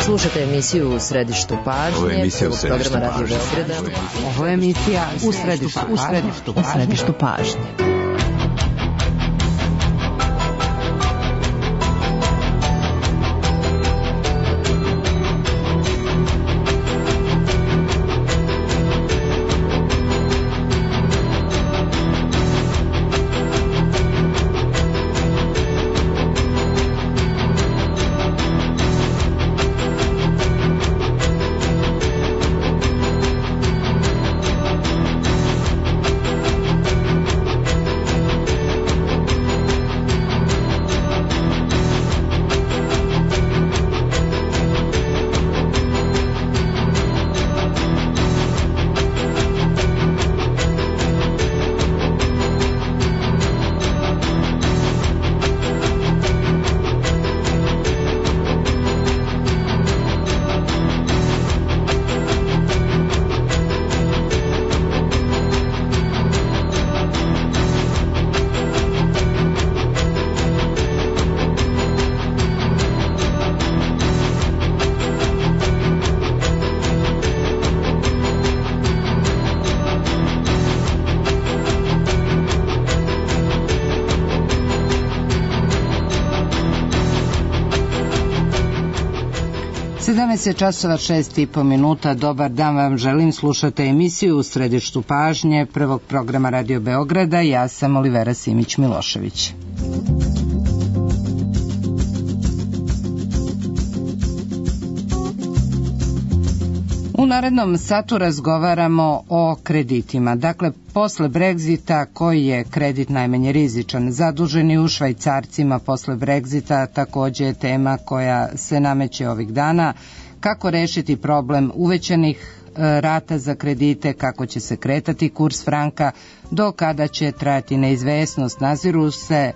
Slušajte emisiju U središtu pažnje. Ovo je emisija U središtu pažnje. Ovo je emisija U središtu pažnje. Časova 6:30. Dobar dan vam želim, slušate emisiju U središtu pažnje prvog programa Radio Beograda. Ja sam Olivera Simić-Milošević. U narednom satu razgovaramo o kreditima. Dakle, posle Brexita, koji je kredit najmanje rizičan? Zaduženi u švajcarcima posle Brexita takođe je tema koja se nameće ovih dana. Kako rešiti problem uvećanih rata za kredite, kako će se kretati kurs franka, do kada će trajati neizvesnost,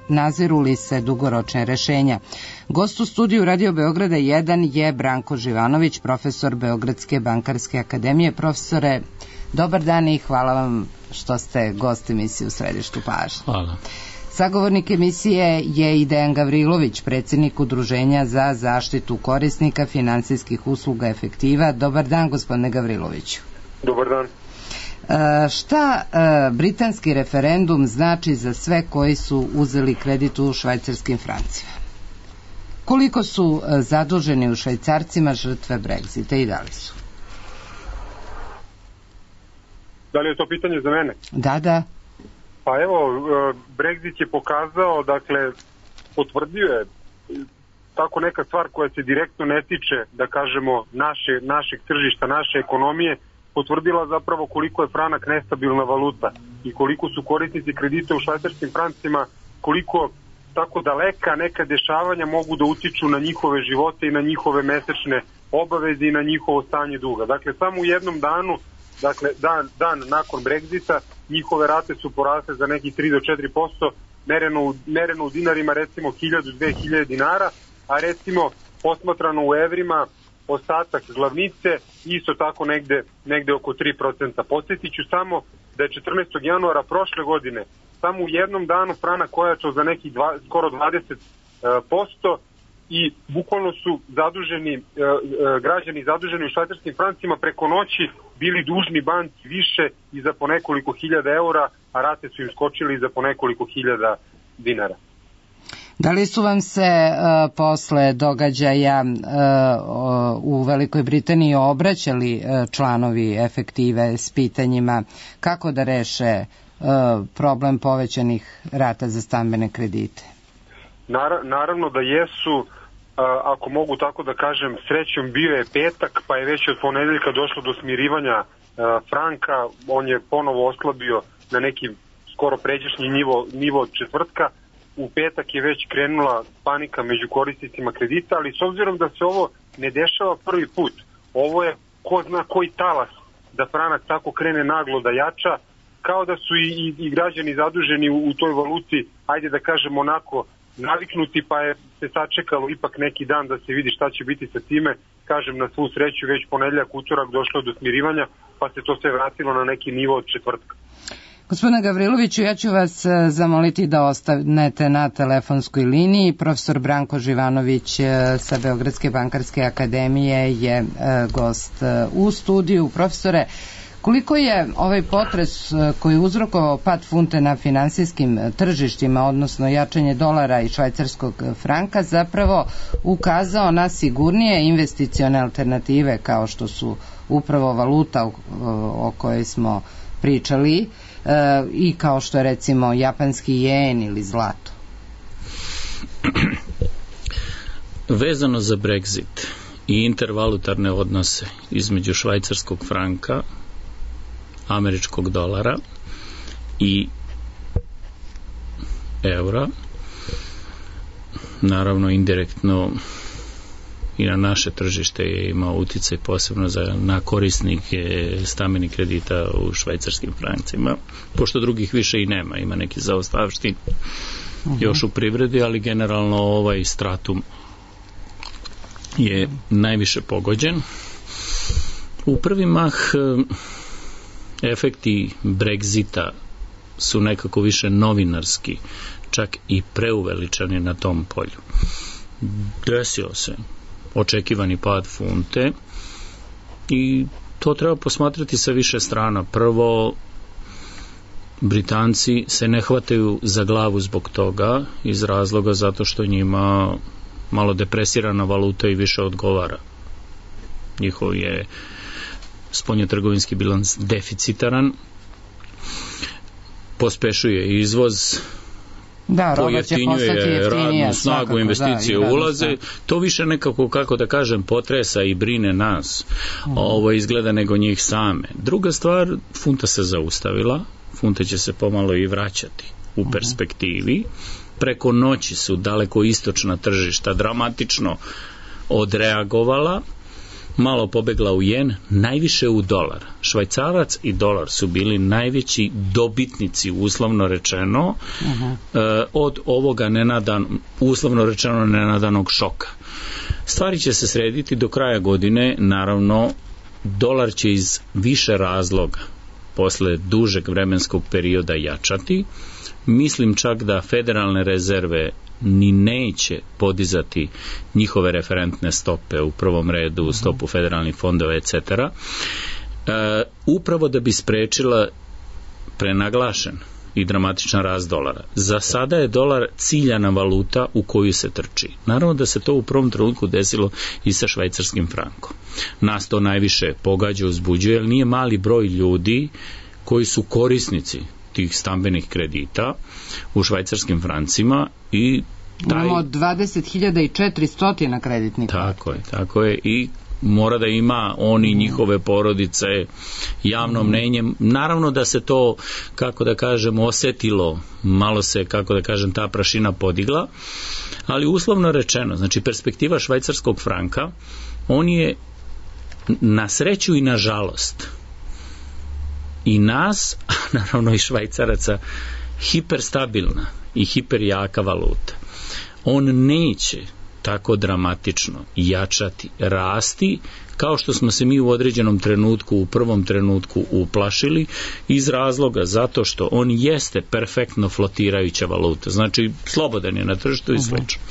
naziru li se dugoročne rešenja. Gost u studiju Radio Beograda 1 je Branko Živanović, profesor Beogradske bankarske akademije. Profesore, dobar dan i hvala vam što ste gost emisije U središtu pažnje. Hvala. Sagovornik emisije je i Dejan Gavrilović, predsjednik Udruženja za zaštitu korisnika finansijskih usluga Efektiva. Dobar dan, gospodine Gavriloviću. Dobar dan. Šta britanski referendum znači za sve koji su uzeli kredit u švajcarskim francima? Koliko su zaduženi u švajcarcima žrtve Brexita i da li su? Da li je to pitanje za mene? Da. Pa evo, Brexit je pokazao, dakle, potvrdio je tako neka stvar koja se direktno ne tiče, da kažemo, našeg tržišta, naše ekonomije, potvrdila zapravo koliko je franak nestabilna valuta i koliko su korisnici kredita u švajcarskim francima, koliko tako daleka neka dešavanja mogu da utiču na njihove živote i na njihove mesečne obaveze i na njihovo stanje duga. Dakle, samo u jednom danu, dakle, dan nakon Brexita, njihove rate su porasle za nekih 3 do 4%, mereno u dinarima recimo 1000-2000 dinara, a recimo posmatrano u evrima ostatak glavnice isto tako negde oko 3%. Podsjetit ću samo da je 14. januara prošle godine samo u jednom danu franak ojačao za nekih skoro 20%, i bukvalno su građani zaduženi u švajcarskim francima preko noći bili dužni banci više i za po nekoliko hiljada eura, a rate su im skočili za po nekoliko hiljada dinara. Da li su vam se posle događaja u Velikoj Britaniji obraćali članovi Efektive s pitanjima kako da reše problem povećanih rata za stambene kredite? Naravno da jesu. Ako mogu tako da kažem, srećom bio je petak, pa je već od ponedeljka došlo do smirivanja franka. On je ponovo oslabio na neki skoro pređašnji nivo od četvrtka. U petak je već krenula panika među korisnicima kredita, ali s obzirom da se ovo ne dešava prvi put, ovo je ko zna koji talas da franak tako krene naglo da jača, kao da su i građani zaduženi u toj valuti, ajde da kažemo onako, naviknuti, pa je se sačekalo ipak neki dan da se vidi šta će biti sa time. Kažem, na svu sreću već ponedeljak, utorak došlo do smirivanja, pa se to sve vratilo na neki nivo od četvrtka. Gospodine Gavriloviću, ja ću vas zamoliti da ostanete na telefonskoj liniji. Profesor Branko Živanović sa Beogradske bankarske akademije je gost u studiju. Profesore, koliko je ovaj potres koji je uzrokovao pad funte na finansijskim tržištima, odnosno jačanje dolara i švajcarskog franka, zapravo ukazao na sigurnije investicione alternative kao što su upravo valuta o kojoj smo pričali i kao što je recimo japanski jen ili zlato? Vezano za Brexit i intervalutarne odnose između švajcarskog franka, američkog dolara i eura, naravno indirektno i na naše tržište je imao uticaj posebno na korisnike stambenih kredita u švajcarskim francima, pošto drugih više i nema, ima neki zaostavštin još u privredi, ali generalno ovaj stratum je najviše pogođen. U prvi mah efekti Brexita su nekako više novinarski, čak i preuveličani na tom polju. Desio se očekivani pad funte i to treba posmatrati sa više strana. Prvo, Britanci se ne hvataju za glavu zbog toga, iz razloga zato što njima malo depresirana valuta i više odgovara. Njihov je spoljnotrgovinski bilans deficitaran, pospešuje izvoz, pojeftinjuje radnu snagu, investicije ulaze, to više nekako, kako da kažem, potresa i brine nas. Ovo izgleda nego njih same. Druga stvar, funta se zaustavila, funta će se pomalo i vraćati u perspektivi. Preko noći su daleko istočna tržišta dramatično odreagovala, malo pobegla u jen, najviše u dolar. Švajcarac i dolar su bili najveći dobitnici, uslovno rečeno, od ovoga uslovno rečeno nenadanog šoka. Stvari će se srediti do kraja godine, naravno, dolar će iz više razloga posle dužeg vremenskog perioda jačati. Mislim čak da federalne rezerve ni neće podizati njihove referentne stope, u prvom redu stopu federalnih fondova, etc. Upravo da bi sprečila prenaglašen i dramatičan rast dolara. Za sada je dolar ciljana valuta u koju se trči. Naravno da se to u prvom trenutku desilo i sa švajcarskim frankom. Nas to najviše pogađa, uzbuđuje, jer nije mali broj ljudi koji su korisnici tih stambenih kredita u švajcarskim francima i imamo 20.400 kreditnih karata. Tako je i mora da ima oni njihove porodice javno mnenje. Naravno da se to, kako da kažem, osetilo, malo se, kako da kažem, ta prašina podigla, ali uslovno rečeno, znači perspektiva švajcarskog franka, on je na sreću i na žalost i nas, a naravno i švajcaraca, hiperstabilna i hiperjaka valuta. On neće tako dramatično jačati, rasti, kao što smo se mi u određenom trenutku, u prvom trenutku uplašili, iz razloga zato što on jeste perfektno flotirajuća valuta, znači slobodan je na tržištu i slično.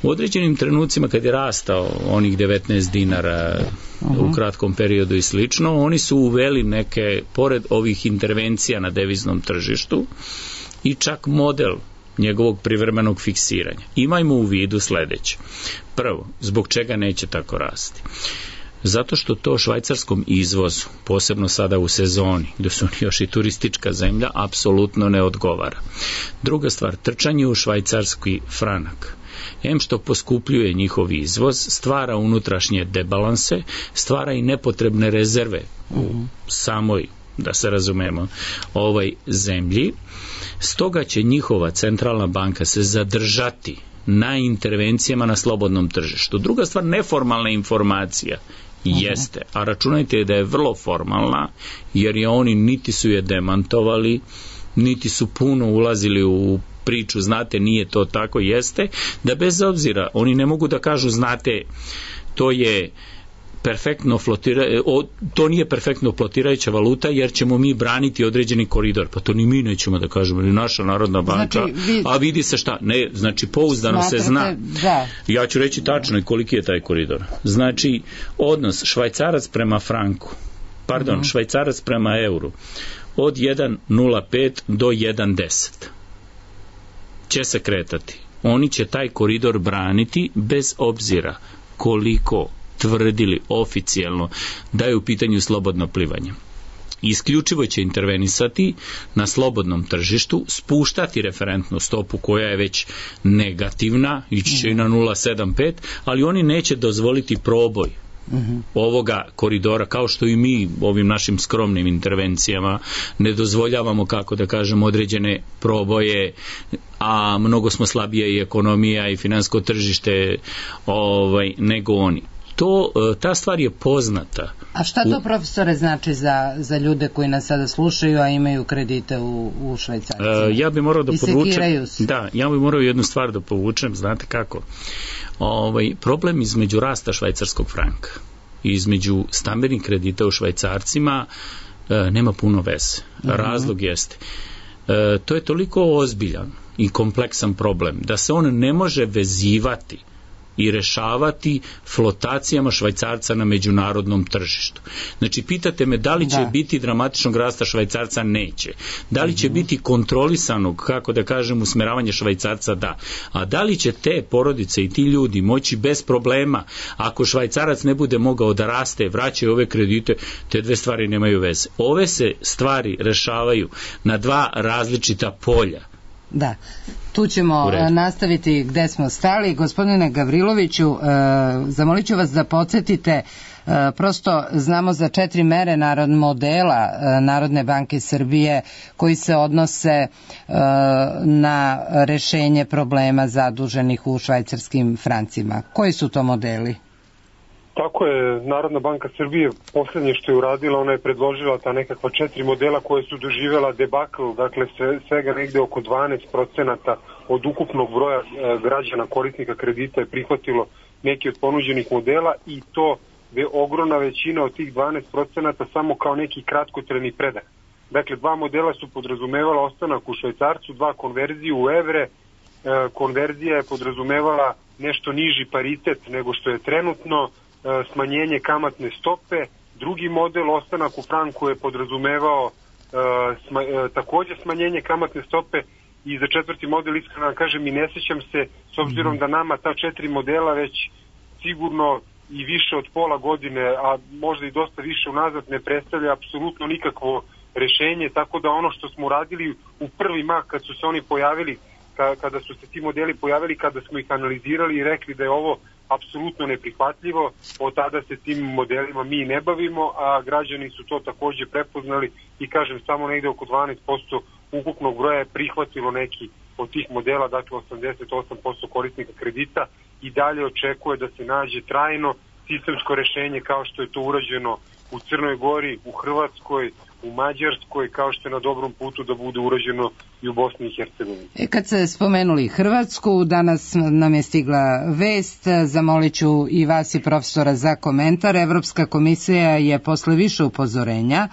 U određenim trenucima kad je rastao onih 19 dinara u kratkom periodu i slično, oni su uveli neke, pored ovih intervencija na deviznom tržištu, i čak model njegovog privremenog fiksiranja. Imajmo u vidu sledeće. Prvo, zbog čega neće tako rasti? Zato što to švajcarskom izvozu, posebno sada u sezoni, gde su oni još i turistička zemlja, apsolutno ne odgovara. Druga stvar, trčanje u švajcarski franak, em što poskupljuje njihov izvoz, stvara unutrašnje debalanse, stvara i nepotrebne rezerve u samoj, da se razumemo, ovoj zemlji. Stoga će njihova centralna banka se zadržati na intervencijama na slobodnom tržištu. Druga stvar, neformalna informacija jeste, a računajte da je vrlo formalna, jer je oni niti su je demantovali, niti su puno ulazili u priču, znate, nije to tako, jeste, da bez obzira, oni ne mogu da kažu, znate, to je perfektno to nije perfektno flotirajuća valuta, jer ćemo mi braniti određeni koridor. Pa to ni mi nećemo da kažemo, ni naša Narodna banka. Znači, a vidi se šta? Ne, znači pouzdano se zna. Da. Ja ću reći tačno i koliki je taj koridor. Znači, odnos švajcarac prema franku, švajcarac prema euru, od 1,05 do 1,10 će se kretati. Oni će taj koridor braniti bez obzira koliko tvrdili oficijelno da je u pitanju slobodno plivanje. Isključivo će intervenisati na slobodnom tržištu, spuštati referentnu stopu koja je već negativna, ići će i na 0,75, ali oni neće dozvoliti proboj ovoga koridora, kao što i mi ovim našim skromnim intervencijama ne dozvoljavamo, kako da kažem, određene proboje, a mnogo smo slabije i ekonomija i finansko tržište nego oni. Ta stvar je poznata. A šta to, profesore, znači za ljude koji nas sada slušaju, a imaju kredite u švajcarcima? Ja bih morao da povučem. Da, ja bih morao jednu stvar da povučem, znate kako? Problem između rasta švajcarskog franka i između stambenih kredita u švajcarcima nema puno veze. Razlog jeste. To je toliko ozbiljan i kompleksan problem da se on ne može vezivati i rešavati flotacijama švajcarca na međunarodnom tržištu. Znači, pitate me da li će biti dramatičnog rasta švajcarca? Neće. Da li će biti kontrolisanog, kako da kažem, usmeravanje švajcarca? Da. A da li će te porodice i ti ljudi moći bez problema, ako švajcarac ne bude mogao da raste, vraćaju ove kredite, te dve stvari nemaju veze. Ove se stvari rešavaju na dva različita polja. Da, tu ćemo nastaviti gde smo stali. Gospodine Gavriloviću, zamolit ću vas da podsjetite, prosto znamo za 4 mere modela Narodne banke Srbije koji se odnose na rešenje problema zaduženih u švajcarskim francima. Koji su to modeli? Tako je, Narodna banka Srbije poslednje što je uradila, ona je predložila ta nekakva 4 modela koje su doživjela debakl, dakle svega negde oko 12% od ukupnog broja građana korisnika kredita je prihvatilo neki od ponuđenih modela, i to je ogromna većina od tih 12% samo kao neki kratkotrajni predah. Dakle, 2 modela su podrazumevala ostanak u švajcarcu, 2 konverziju u evre. Konverzija je podrazumevala nešto niži paritet nego što je trenutno, smanjenje kamatne stope. Drugi model, ostanak u franku, je podrazumevao takođe smanjenje kamatne stope, i za 4. model, iskreno vam kažem, i ne sećam se, s obzirom da nama ta 4 modela već sigurno i više od pola godine, a možda i dosta više unazad, ne predstavlja apsolutno nikakvo rešenje, tako da ono što smo uradili u prvi mah kad su se oni pojavili, kada su se ti modeli pojavili, kada smo ih analizirali i rekli da je ovo apsolutno neprihvatljivo, od tada se tim modelima mi ne bavimo, a građani su to takođe prepoznali i, kažem, samo negde oko 12% ukupnog broja je prihvatilo neki od tih modela, dakle 88% korisnika kredita, i dalje očekuje da se nađe trajno sistemsko rešenje kao što je to urađeno u Crnoj Gori, u Hrvatskoj, u Mađarskoj, kao što je na dobrom putu da bude urađeno i u Bosni i Hercegovini. Kad ste spomenuli Hrvatsku, danas nam je stigla vest, zamolit ću i vas i profesora za komentar. Evropska komisija je posle više upozorenja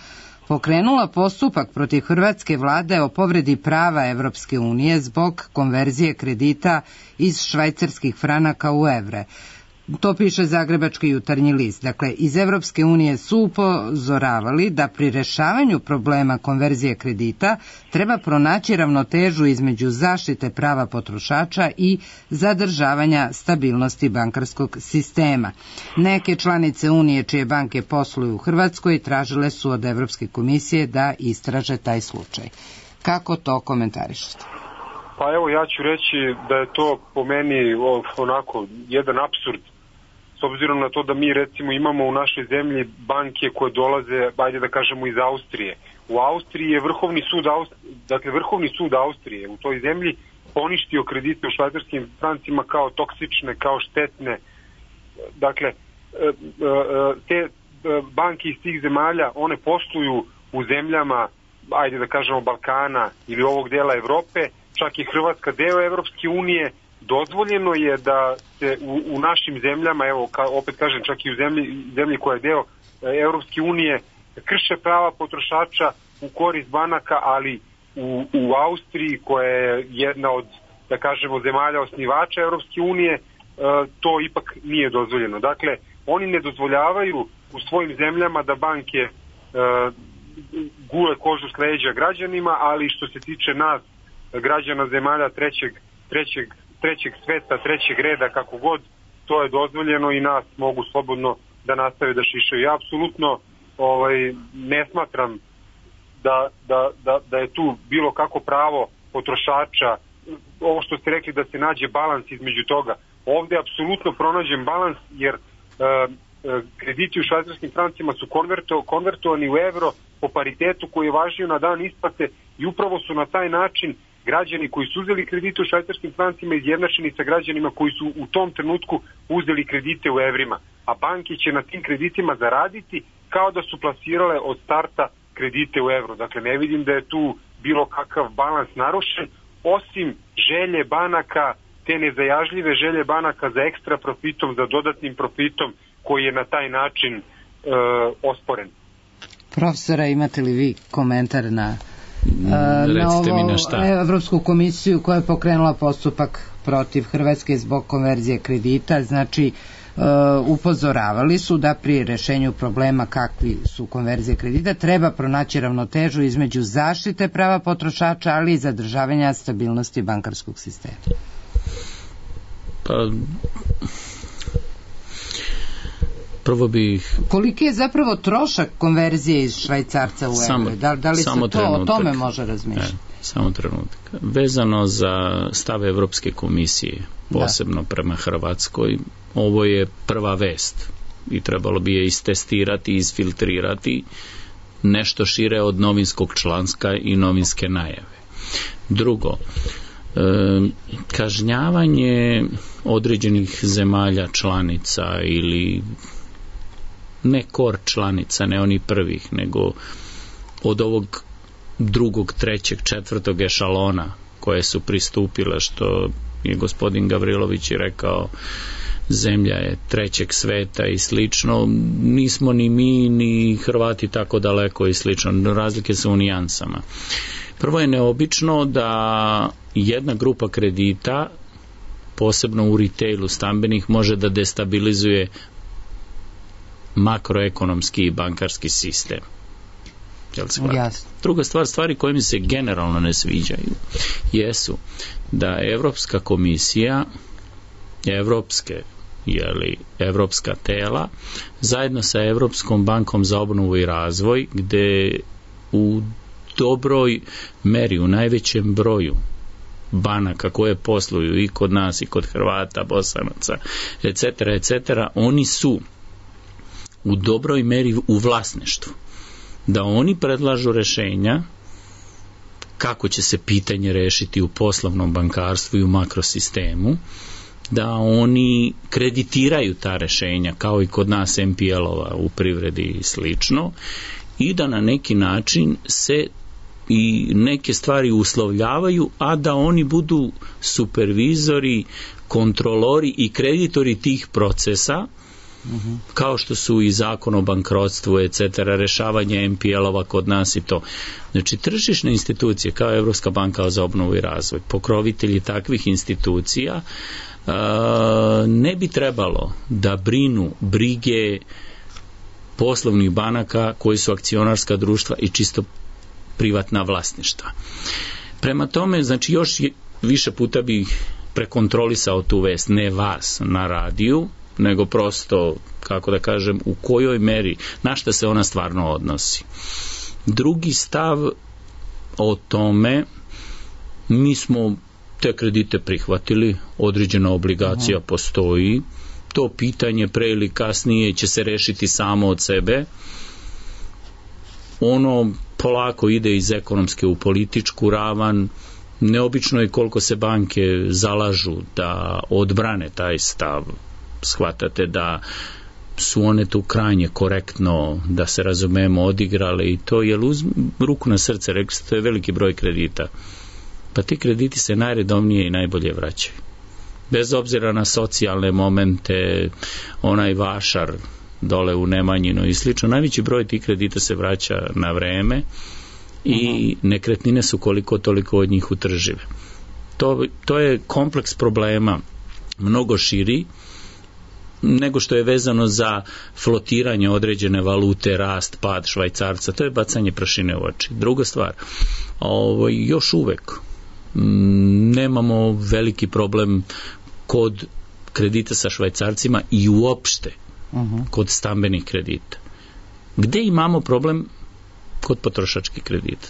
pokrenula postupak protiv hrvatske vlade o povredi prava Evropske unije zbog konverzije kredita iz švajcarskih franaka u evre. To piše Zagrebački jutarnji list. Dakle, iz Evropske unije su upozoravali da pri rešavanju problema konverzije kredita treba pronaći ravnotežu između zaštite prava potrošača i zadržavanja stabilnosti bankarskog sistema. Neke članice Unije čije banke posluju u Hrvatskoj tražile su od Evropske komisije da istraže taj slučaj. Kako to komentarišete? Pa evo, ja ću reći da je to po meni onako jedan apsurd, s obzirom na to da mi recimo imamo u našoj zemlji banke koje dolaze, ajde da kažemo, iz Austrije. U Austriji je Vrhovni sud Austrije u toj zemlji poništio kredite u švajcarskim francima kao toksične, kao štetne. Dakle, te banke iz tih zemalja, one posluju u zemljama, ajde da kažemo, Balkana ili ovog dela Evrope, čak i Hrvatska deo Evropske unije, dozvoljeno je da se u našim zemljama, evo opet kažem čak i u zemlji koja je deo Evropske unije, krše prava potrošača u korist banaka, ali u Austriji, koja je jedna od, da kažemo, zemalja osnivača Evropske unije, to ipak nije dozvoljeno. Dakle, oni ne dozvoljavaju u svojim zemljama da banke gule kožu s leđa građanima, ali što se tiče nas, građana zemalja trećeg sveta, trećeg reda, kako god, to je dozvoljeno i nas mogu slobodno da nastave da šišaju. Ja apsolutno ne smatram da je tu bilo kako pravo potrošača, ovo što ste rekli da se nađe balans između toga. Ovde je apsolutno pronađen balans, jer krediti u švajcarskim francima su konvertovani u evro po paritetu koji je važio na dan isplate i upravo su na taj način građani koji su uzeli kredite u švajcarskim francima izjednačeni sa građanima koji su u tom trenutku uzeli kredite u evrima. A banke će na tim kreditima zaraditi kao da su plasirale od starta kredite u evro. Dakle, ne vidim da je tu bilo kakav balans narušen, osim želje banaka, te nezajažljive želje banaka za ekstra profitom, za dodatnim profitom koji je na taj način osporen. Profesora, imate li vi komentar na Evropsku komisiju koja je pokrenula postupak protiv Hrvatske zbog konverzije kredita? Znači, upozoravali su da pri rešenju problema kakvi su konverzije kredita treba pronaći ravnotežu između zaštite prava potrošača, ali i zadržavanja stabilnosti bankarskog sistema. Pa prvo bih... Koliki je zapravo trošak konverzije iz švajcarca u evre? Da li se to o tome može razmišljati? Samo trenutak. Vezano za stav Evropske komisije, posebno prema Hrvatskoj, ovo je prva vest i trebalo bi je istestirati i isfiltrirati nešto šire od novinskog članska i novinske najave. Drugo, kažnjavanje određenih zemalja članica ili ne kor članica, ne oni prvih, nego od ovog drugog, trećeg, četvrtog ešalona koje su pristupile, što je gospodin Gavrilović i rekao, zemlja je trećeg sveta i slično, nismo ni mi ni Hrvati tako daleko i slično, razlike su u nijansama. Prvo je neobično da jedna grupa kredita, posebno u retailu stambenih, može da destabilizuje makroekonomski i bankarski sistem. Druga stvar, stvari koje mi se generalno ne sviđaju jesu da Evropska komisija, evropska tela, zajedno sa Evropskom bankom za obnovu i razvoj, gde u dobroj meri, u najvećem broju banaka koje posluju i kod nas i kod Hrvata, Bosanaca, etc., oni su u dobroj meri u vlasništvu. Da oni predlažu rešenja kako će se pitanje rešiti u poslovnom bankarstvu i u makrosistemu, da oni kreditiraju ta rešenja kao i kod nas MPL-ova u privredi i slično, i da na neki način se i neke stvari uslovljavaju, a da oni budu supervizori, kontrolori i kreditori tih procesa, kao što su i zakon o bankrotstvu, etc., rešavanje MPL-ova kod nas i to. Znači, tržišne institucije kao Evropska banka za obnovu i razvoj, pokrovitelji takvih institucija, ne bi trebalo da brinu brige poslovnih banaka koji su akcionarska društva i čisto privatna vlasništva. Prema tome, znači, još više puta bih prekontrolisao tu vest, ne vas na radiju, nego prosto, kako da kažem, u kojoj meri, na šta se ona stvarno odnosi. Drugi stav o tome, mi smo te kredite prihvatili, određena obligacija postoji, to pitanje pre ili kasnije će se rešiti samo od sebe, ono polako ide iz ekonomske u političku ravan. Neobično je koliko se banke zalažu da odbrane taj stav. Shvatate da su one tu krajnje korektno, da se razumemo, odigrale i to, jer uz ruku na srce, rekli ste, to je veliki broj kredita. Pa ti krediti se najredovnije i najbolje vraćaju. bez obzira na socijalne momente, onaj vašar dole u Nemanjinu i slično, najveći broj tih kredita se vraća na vreme i nekretnine su koliko toliko od njih utržive. To je kompleks problema mnogo širi nego što je vezano za flotiranje određene valute, rast, pad švajcarca. To je bacanje prašine u oči. Druga stvar, još uvek nemamo veliki problem kod kredita sa švajcarcima i uopšte kod stambenih kredita. Gde imamo problem? Kod potrošačkih kredita.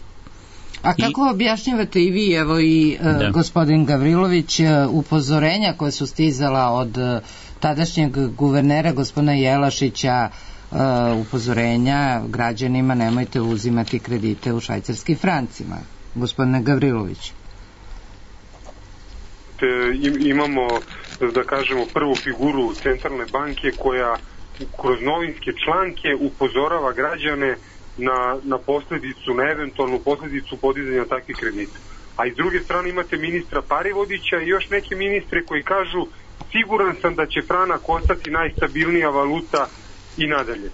A kako objašnjavate i vi, evo i gospodin Gavrilović, upozorenja koje su stizala od tadašnjeg guvernera gospodina Jelašića, upozorenja građanima nemojte uzimati kredite u švajcarskim francima? Gospodine Gavrilović. Imamo, da kažemo, prvu figuru centralne banke koja kroz novinske članke upozorava građane na posledicu, na eventualnu posledicu podizanja takvih kredita. A iz druge strane imate ministra Parivodića i još neke ministre koji kažu siguran sam da će franak ostati najstabilnija valuta i nadalje.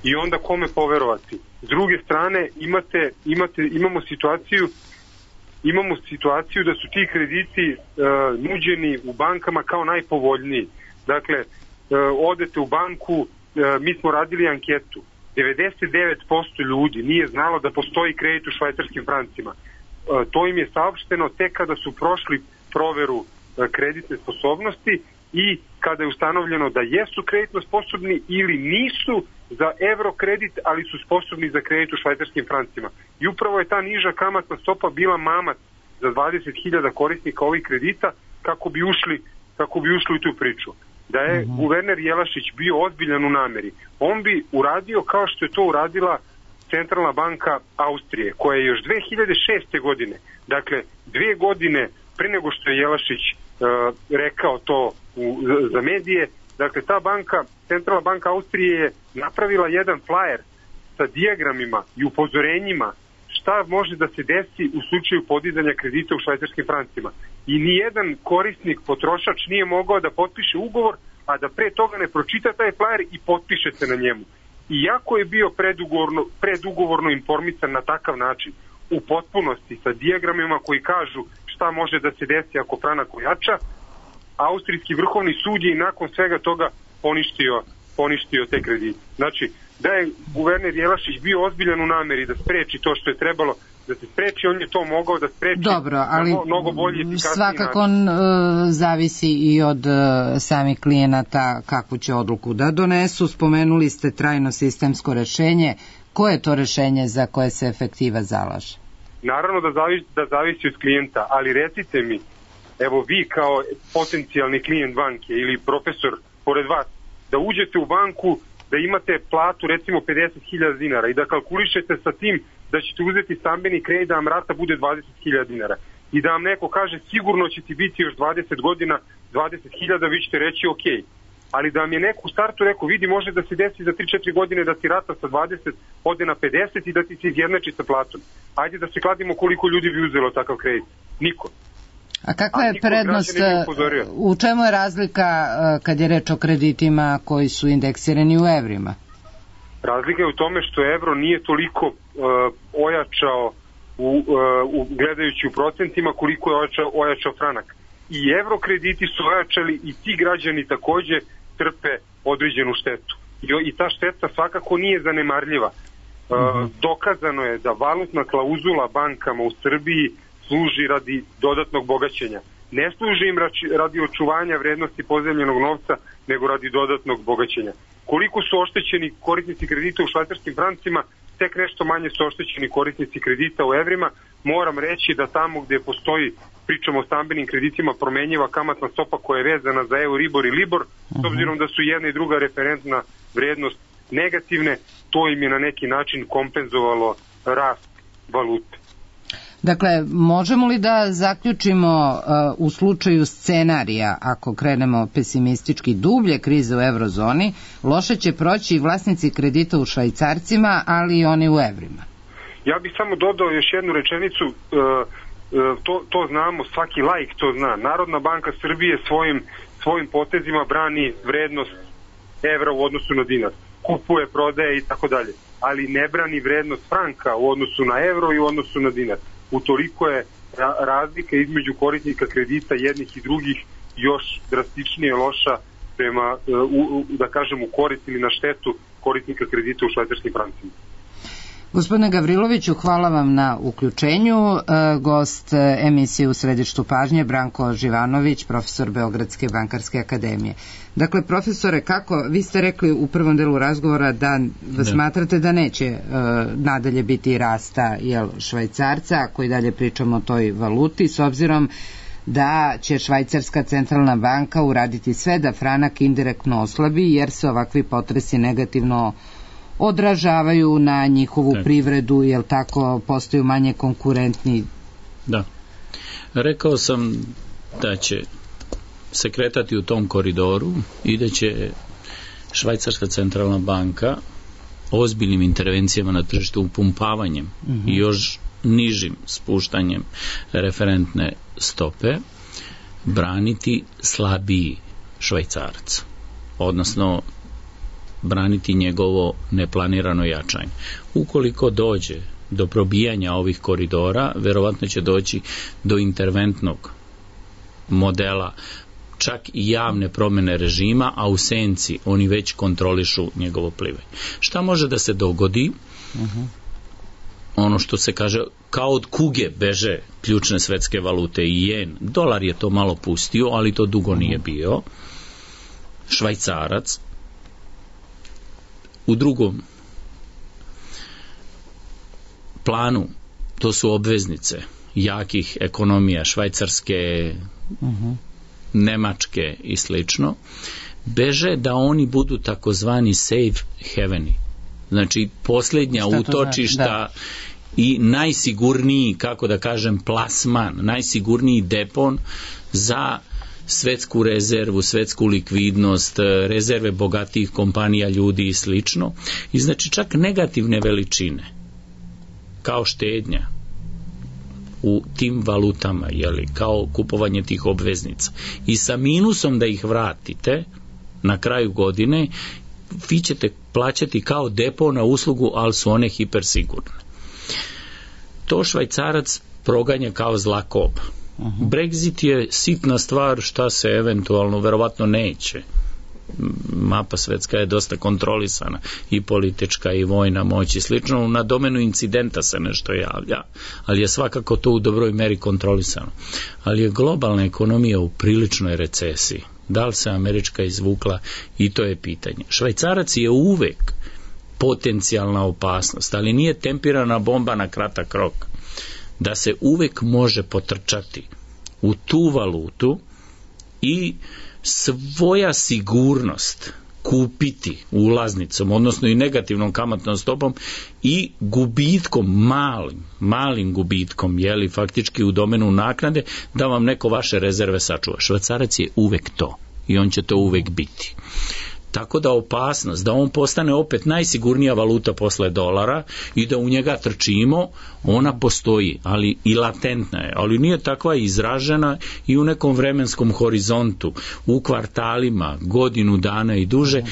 I onda kome poverovati? S druge strane imamo situaciju da su ti krediti nuđeni u bankama kao najpovoljniji. Dakle, odete u banku, mi smo radili anketu, 99% ljudi nije znalo da postoji kredit u švajcarskim francima. To im je saopšteno tek kada su prošli proveru kreditne sposobnosti i kada je ustanovljeno da jesu kreditno sposobni ili nisu za evro kredit, ali su sposobni za kredit u švajcarskim francima. I upravo je ta niža kamatna stopa bila mamac za 20.000 korisnika ovih kredita kako bi ušli u tu priču. Da je guverner Jelašić bio ozbiljan u nameri, on bi uradio kao što je to uradila Centralna banka Austrije, koja je još 2006. godine, dakle 2 godine pre nego što je Jelašić rekao to za medije, dakle ta banka, Centralna banka Austrije je napravila jedan flajer sa dijagramima i upozorenjima šta može da se desi u slučaju podizanja kredita u švajcarskim francima. I nijedan korisnik, potrošač nije mogao da potpiše ugovor, a da pre toga ne pročita taj flajer i potpiše se na njemu. Iako je bio predugovorno informisan na takav način, u potpunosti sa dijagramima koji kažu šta može da se desi ako franak ojača, Austrijski vrhovni sud je nakon svega toga poništio te kredite. Znači, da je guverner Jelašić bio ozbiljan u nameri da spreči to što je trebalo da se spreči, on je to mogao da spreči. Dobro, ali mnogo bolje, efikasniji svakako zavisi i od samih klijenata kakvu će odluku da donesu. Spomenuli ste trajno sistemsko rešenje. Koje je to rešenje za koje se efektiva zalaže? Naravno da zavisi od klijenta, ali recite mi, evo vi kao potencijalni klijent banke ili profesor pored vas, da uđete u banku, da imate platu recimo 50.000 dinara i da kalkulišete sa tim da ćete uzeti stambeni kredit da vam rata bude 20.000 dinara i da vam neko kaže sigurno će ti biti još 20 godina 20.000, vi ćete reći ok. Ali da vam je neko u startu rekao, vidi može da se desi za 3-4 godine da ti rata sa 20 ode na 50 i da ti se izjednači sa platom. Ajde da se kladimo koliko ljudi bi uzelo takav kredit. Niko. A kakva je prednost, u čemu je razlika kad je reč o kreditima koji su indeksirani u evrima? Razlika je u tome što evro nije toliko ojačao gledajući u procentima koliko je ojačao franak. I evro krediti su ojačali i ti građani takođe trpe određenu štetu. I ta šteta svakako nije zanemarljiva. Dokazano je da valutna klauzula bankama u Srbiji služi radi dodatnog bogaćenja. Ne služi im radi očuvanja vrednosti pozemljenog novca, nego radi dodatnog bogaćenja. Koliko su oštećeni korisnici kredita u švajcarskim francima, tek nešto manje su oštećeni korisnici kredita u evrima. Moram reći da tamo gde postoji, pričamo o stambenim kreditima, promenjiva kamatna stopa koja je vezana za Euribor i Libor, s obzirom da su jedna i druga referentna vrednost negativne, to im je na neki način kompenzovalo rast valute. Dakle, možemo li da zaključimo u slučaju scenarija, ako krenemo pesimistički, dublje krize u eurozoni, loše će proći i vlasnici kredita u švajcarcima, ali i oni u evrima? Ja bih samo dodao još jednu rečenicu. to znamo, svaki laik to zna. Narodna banka Srbije svojim potezima brani vrednost evra u odnosu na dinar. Kupuje, prodaje i tako dalje. Ali ne brani vrednost franka u odnosu na evro i u odnosu na dinar. Utoliko je razlika između korisnika kredita jednih i drugih još drastičnije loša prema, da kažem, u korist ili na štetu korisnika kredita u švajcarskim francima. Gospodine Gavriloviću, hvala vam na uključenju. Gost emisije U središtu pažnje Branko Živanović, profesor Beogradske bankarske akademije. Dakle, profesore, vi ste rekli u prvom delu razgovora da smatrate da neće nadalje biti rasta švajcarca, ako i dalje pričamo o toj valuti, s obzirom da će Švajcarska centralna banka uraditi sve da franak indirektno oslabi, jer se ovakvi potresi negativno odražavaju na njihovu privredu, jel tako, postaju manje konkurentni? Da. Rekao sam da će se kretati u tom koridoru i da će Švajcarska centralna banka ozbiljnim intervencijama na tržištu, upumpavanjem i još nižim spuštanjem referentne stope braniti slabiji Švajcarac, odnosno braniti njegovo neplanirano jačanje. Ukoliko dođe do probijanja ovih koridora, verovatno će doći do interventnog modela, čak i javne promjene režima, a u senci oni već kontrolišu njegovo plivanje. Šta može da se dogodi? Ono što se kaže, kao od kuge beže ključne svetske valute i jen. Dolar je to malo pustio, ali to dugo nije bio. Švajcarac u drugom planu, to su obveznice jakih ekonomija, švajcarske, nemačke i slično, beže da oni budu takozvani safe haveni, znači posljednja utočišta i najsigurniji, kako da kažem, plasman, najsigurniji depon za svetsku rezervu, svetsku likvidnost, rezerve bogatih kompanija, ljudi i slično. I znači čak negativne veličine, kao štednja u tim valutama, kao kupovanje tih obveznica, i sa minusom da ih vratite na kraju godine, vi ćete plaćati kao depo na uslugu, ali su one hipersigurne. To Švajcarac proganja kao zla koba. Brexit je sitna stvar, šta se eventualno, verovatno neće. Mapa svetska je dosta kontrolisana, i politička i vojna moć i slično, na domenu incidenta se nešto javlja, ali je svakako to u dobroj meri kontrolisano. Ali je globalna ekonomija u priličnoj recesiji. Da li se američka izvukla, i to je pitanje. Švajcarac je uvek potencijalna opasnost, ali nije tempirana bomba na kratak rok. Da se uvek može potrčati u tu valutu i svoja sigurnost kupiti ulaznicom, odnosno i negativnom kamatnom stopom i gubitkom, malim gubitkom, faktički u domenu naknade, da vam neko vaše rezerve sačuva. Švajcarac je uvek to i on će to uvek biti. Tako da opasnost da on postane opet najsigurnija valuta posle dolara i da u njega trčimo, ona postoji, ali i latentna je, ali nije takva izražena i u nekom vremenskom horizontu, u kvartalima, godinu dana i duže,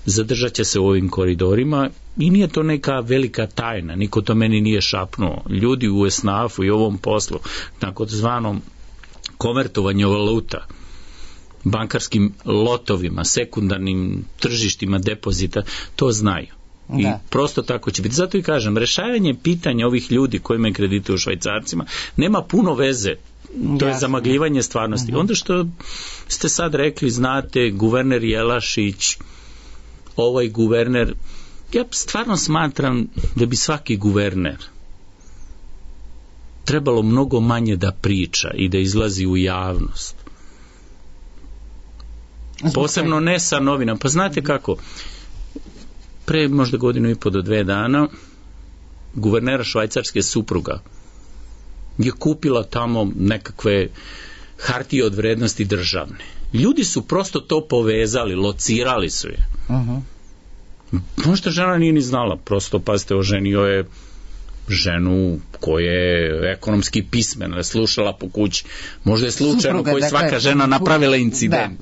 zadržat će se u ovim koridorima i nije to neka velika tajna, niko to meni nije šapnuo. Ljudi u SNAF-u i ovom poslu, takozvanom konvertovanju valuta, bankarskim lotovima, sekundarnim tržištima depozita, to znaju. I prosto tako će biti. Zato i kažem, rešavanje pitanja ovih ljudi koji imaju kredite u švajcarcima nema puno veze. To je zamagljivanje stvarnosti. Onda što ste sad rekli, znate, guverner Jelašić, ovaj guverner, ja stvarno smatram da bi svaki guverner trebalo mnogo manje da priča i da izlazi u javnost. Posebno ne sa novinama. Pa znate kako, pre možda godinu i po do 2 dana guvernera švajcarske supruga je kupila tamo nekakve hartije od vrednosti državne. Ljudi su prosto to povezali, locirali su je. Možda žena nije ni znala, prosto, pazite, oženio je ženu koja je ekonomski pismena, slušala po kući, možda je slučajno koji svaka žena napravila incident.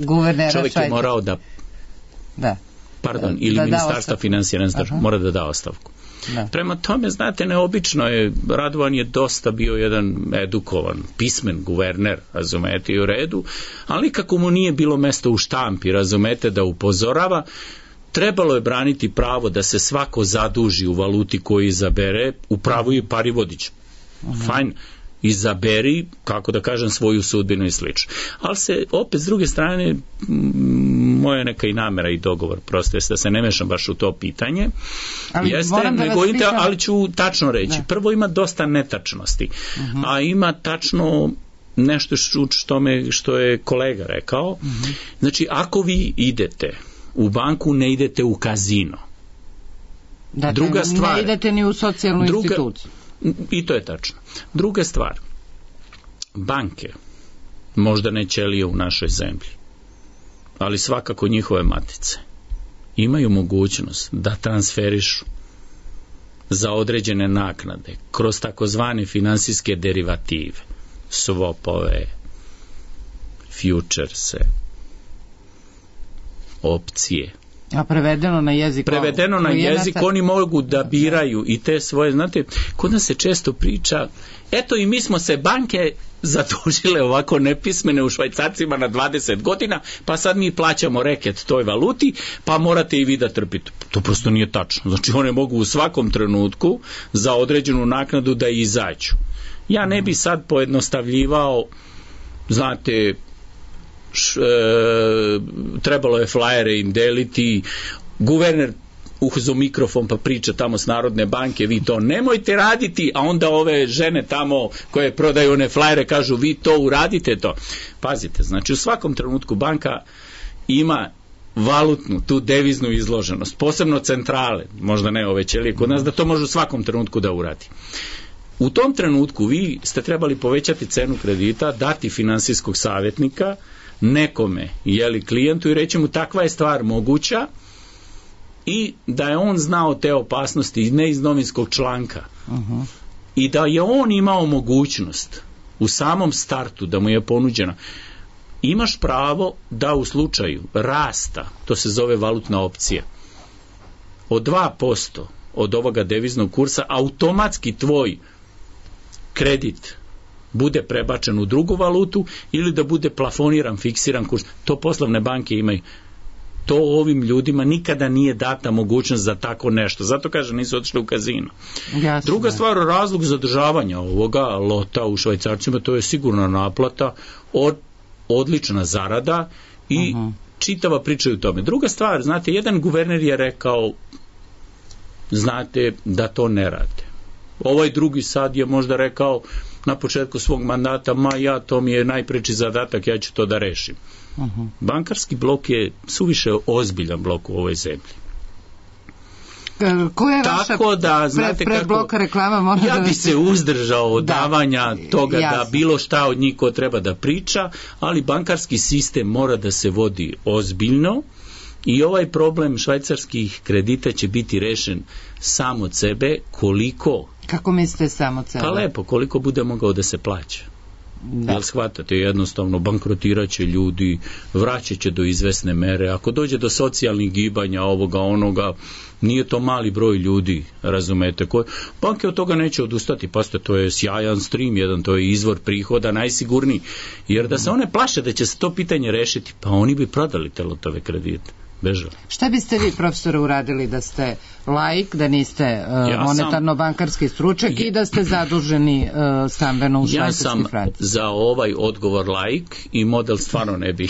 Čovjek je morao da ili ministarstva financija mora da da ostavku. Prema tome, znate, neobično je, Radovan je dosta bio jedan edukovan, pismen guverner, razumete, i u redu, ali nikako mu nije bilo mesto u štampi, razumete, da upozorava. Trebalo je braniti pravo da se svako zaduži u valuti koju izabere, u pravu i Parivodić. Fajn, izaberi, kako da kažem, svoju sudbinu i slično. Ali se, opet, s druge strane, moja neka i namera i dogovor, prosto je da se ne mešam baš u to pitanje, ali ću tačno reći. Prvo, ima dosta netačnosti, a ima tačno nešto što je kolega rekao. Znači, ako vi idete u banku, ne idete u kazino. Druga stvar, ne idete ni u socijalnu instituciju. I to je tačno. Druga stvar, banke, možda ne ćelije u našoj zemlji, ali svakako njihove matice, imaju mogućnost da transferišu za određene naknade kroz takozvane finansijske derivative, swapove, futurese, opcije. A prevedeno na jezik? Prevedeno na jezik, oni mogu da biraju i te svoje, znate, kod nas se često priča, eto i mi smo se banke zadužile ovako nepismene u švajcarcima na 20 godina, pa sad mi plaćamo reket toj valuti, pa morate i vi da trpite. To prosto nije tačno. Znači, one mogu u svakom trenutku za određenu naknadu da izađu. Ja ne bi sad pojednostavljivao, znate, trebalo je flajere im deliti, guverner uzo mikrofon pa priča tamo s Narodne banke, vi to nemojte raditi, a onda ove žene tamo koje prodaju one flajere kažu vi to uradite to. Pazite, znači u svakom trenutku banka ima valutnu, tu deviznu izloženost, posebno centrale, možda ne ove ćelije kod nas, da to može u svakom trenutku da uradi. U tom trenutku vi ste trebali povećati cenu kredita, dati finansijskog savjetnika nekome, klijentu, i reći mu takva je stvar moguća, i da je on znao te opasnosti ne iz novinskog članka, i da je on imao mogućnost u samom startu da mu je ponuđena, imaš pravo da u slučaju rasta, to se zove valutna opcija, od 2% od ovoga deviznog kursa automatski tvoj kredit bude prebačen u drugu valutu ili da bude plafoniran, fiksiran kurs. To poslovne banke imaju. To ovim ljudima nikada nije data mogućnost za tako nešto. Zato kažem, nisu otišli u kazino. Druga stvar, razlog zadržavanja ovoga lota u švajcarcima, to je sigurna naplata, odlična zarada i čitava priča u tome. Druga stvar, znate, jedan guverner je rekao, znate, da to ne rade. Ovaj drugi sad je možda rekao na početku svog mandata, to mi je najpreči zadatak, ja ću to da rešim. Bankarski blok je suviše ozbiljan blok u ovoj zemlji. Koja je vaša predbloka reklama? Ja bi se uzdržao od davanja toga da bilo šta od njih ko treba da priča, ali bankarski sistem mora da se vodi ozbiljno i ovaj problem švajcarskih kredita će biti rešen sam od sebe koliko... Kako mislite sam od sebe? Pa lepo, koliko bude mogao da se plaća. Jel shvatate, jednostavno bankrotirat će ljudi, vraćat će do izvesne mere, ako dođe do socijalnih gibanja ovoga, onoga, nije to mali broj ljudi, razumete, banke od toga neće odustati, pasite, to je sjajan stream jedan, to je izvor prihoda najsigurniji, jer da se one plaše da će se to pitanje rešiti, pa oni bi prodali te lotove kredite. Bežali. Šta biste vi, profesore, uradili da ste laik, da niste monetarno-bankarski stručnjak i da ste zaduženi stambeno u švajcarskim francima? Ja sam za ovaj odgovor laik i model stvarno ne bi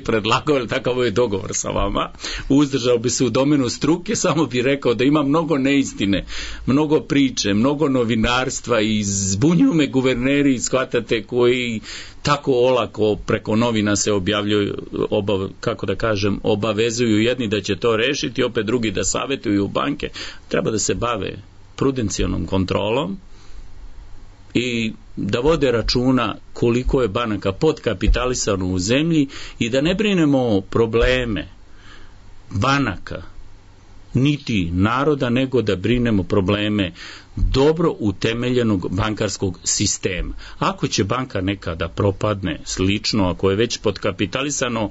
predlagao, ali takav je dogovor sa vama. Uzdržao bi se u domenu struke, samo bi rekao da ima mnogo neistine, mnogo priče, mnogo novinarstva i zbunjuju me guverneri, shvatate, koji tako olako preko novina se objavljuju, obavezuju jedni da će to rešiti, opet drugi da savjetuju banke. Treba da se bave prudencijalnom kontrolom i da vode računa koliko je banaka podkapitalisano u zemlji i da ne brinemo probleme banaka niti naroda, nego da brinemo probleme dobro utemeljenog bankarskog sistema. Ako će banka nekada propadne, slično, ako je već podkapitalisano,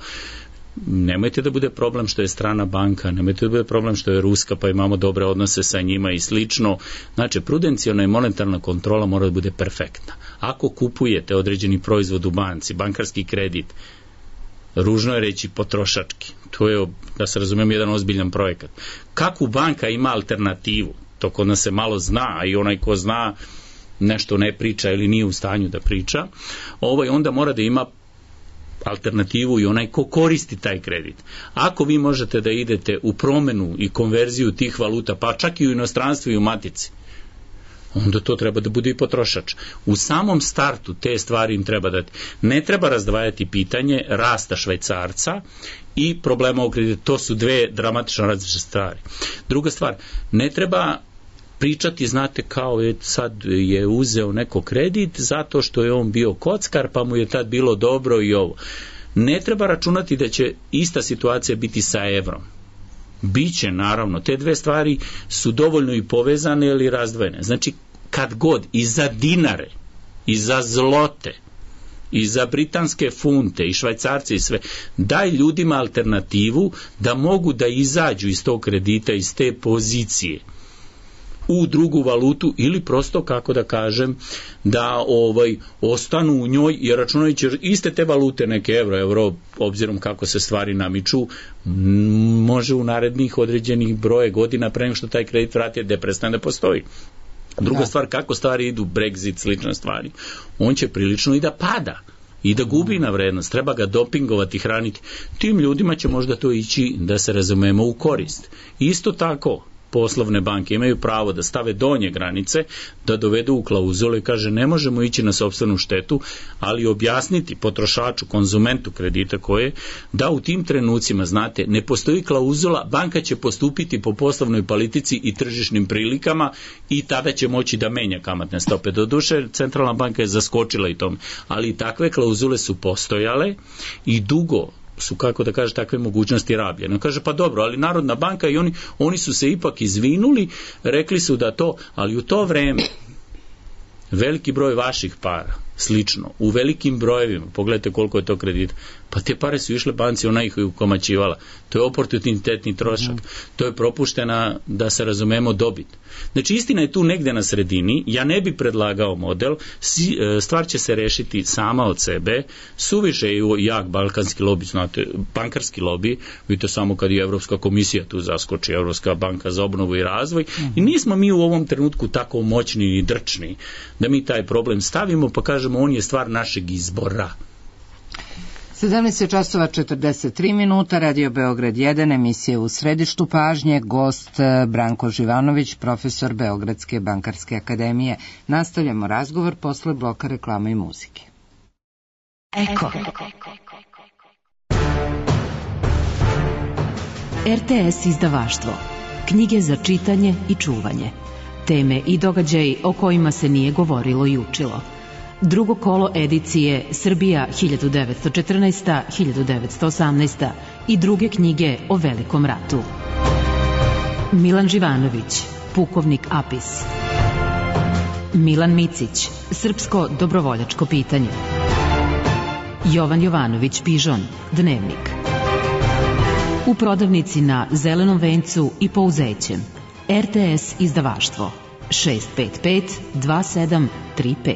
nemojte da bude problem što je strana banka, nemojte da bude problem što je ruska, pa imamo dobre odnose sa njima i slično. Znači, prudencijalna i monetarna kontrola mora da bude perfektna. Ako kupujete određeni proizvod u banci, bankarski kredit, ružno je reći potrošački, to je, da se razumemo, jedan ozbiljan projekat. Kako banka ima alternativu? To kod nas se malo zna, a i onaj ko zna nešto ne priča ili nije u stanju da priča, onda mora da ima alternativu i onaj ko koristi taj kredit. Ako vi možete da idete u promenu i konverziju tih valuta, pa čak i u inostranstvu i u matici, onda to treba da bude i potrošač. U samom startu te stvari im treba dati. Ne treba razdvajati pitanje rasta švajcarca i problema u kreditu. To su dve dramatično različite stvari. Druga stvar, ne treba pričati, znate, kao sad je uzeo neko kredit zato što je on bio kockar, pa mu je tad bilo dobro i ovo. Ne treba računati da će ista situacija biti sa evrom. Biće, naravno, te dve stvari su dovoljno i povezane ili razdvojene. Znači, kad god i za dinare, i za zlote, i za britanske funte, i švajcarce i sve, daj ljudima alternativu da mogu da izađu iz tog kredita, iz te pozicije u drugu valutu ili prosto, kako da kažem, da ostanu u njoj i računajući iste te valute, neke euro, obzirom kako se stvari namiču, može u narednih određenih broje godina pre nego što taj kredit vrati da prestane da postoji. Druga stvar, kako stvari idu, Brexit, slične stvari, on će prilično i da pada i da gubi na vrednost, treba ga dopingovati, hraniti. Tim ljudima će možda to ići, da se razumemo, u korist. Isto tako, poslovne banke imaju pravo da stave donje granice, da dovedu u klauzule i kaže ne možemo ići na sopstvenu štetu, ali objasniti potrošaču, konzumentu kredita koje, da u tim trenucima, znate, ne postoji klauzula, banka će postupiti po poslovnoj politici i tržišnim prilikama i tada će moći da menja kamatne stope. Doduše, centralna banka je zaskočila i tome, ali takve klauzule su postojale i dugo su, kako da kaže, takve mogućnosti rabljene. Kaže, pa dobro, ali Narodna banka i oni su se ipak izvinuli, rekli su da to, ali u to vreme veliki broj vaših para, slično, u velikim brojevima, pogledajte koliko je to kredita, pa te pare su išle banci, ona ih je ukomaćivala. To je oportunitetni trošak. To je propuštena, da se razumemo, dobit. Znači, istina je tu negde na sredini, ja ne bi predlagao model, stvar će se rešiti sama od sebe, suviše je jak balkanski lobi, znate, bankarski lobi, vidite samo kad je Evropska komisija tu zaskoči, Evropska banka za obnovu i razvoj, i nismo mi u ovom trenutku tako moćni i drčni, da mi taj problem stavimo, pa kažemo, on je stvar našeg izbora. 17 časova 43 minuta, Radio Beograd 1, emisija U središtu pažnje, gost Branko Živanović, profesor Beogradske bankarske akademije. Nastavljamo razgovor posle bloka reklama i muzike. Eko. RTS izdavaštvo. Knjige za čitanje i čuvanje. Teme i događaji o kojima se nije govorilo i učilo. Drugo kolo edicije Srbija 1914-1918 i druge knjige o Velikom ratu. Milan Živanović, Pukovnik Apis. Milan Micić, Srpsko dobrovoljačko pitanje. Jovan Jovanović Pižon, Dnevnik. U prodavnici na Zelenom vencu i Pouzećem. RTS izdavaštvo 655 2735.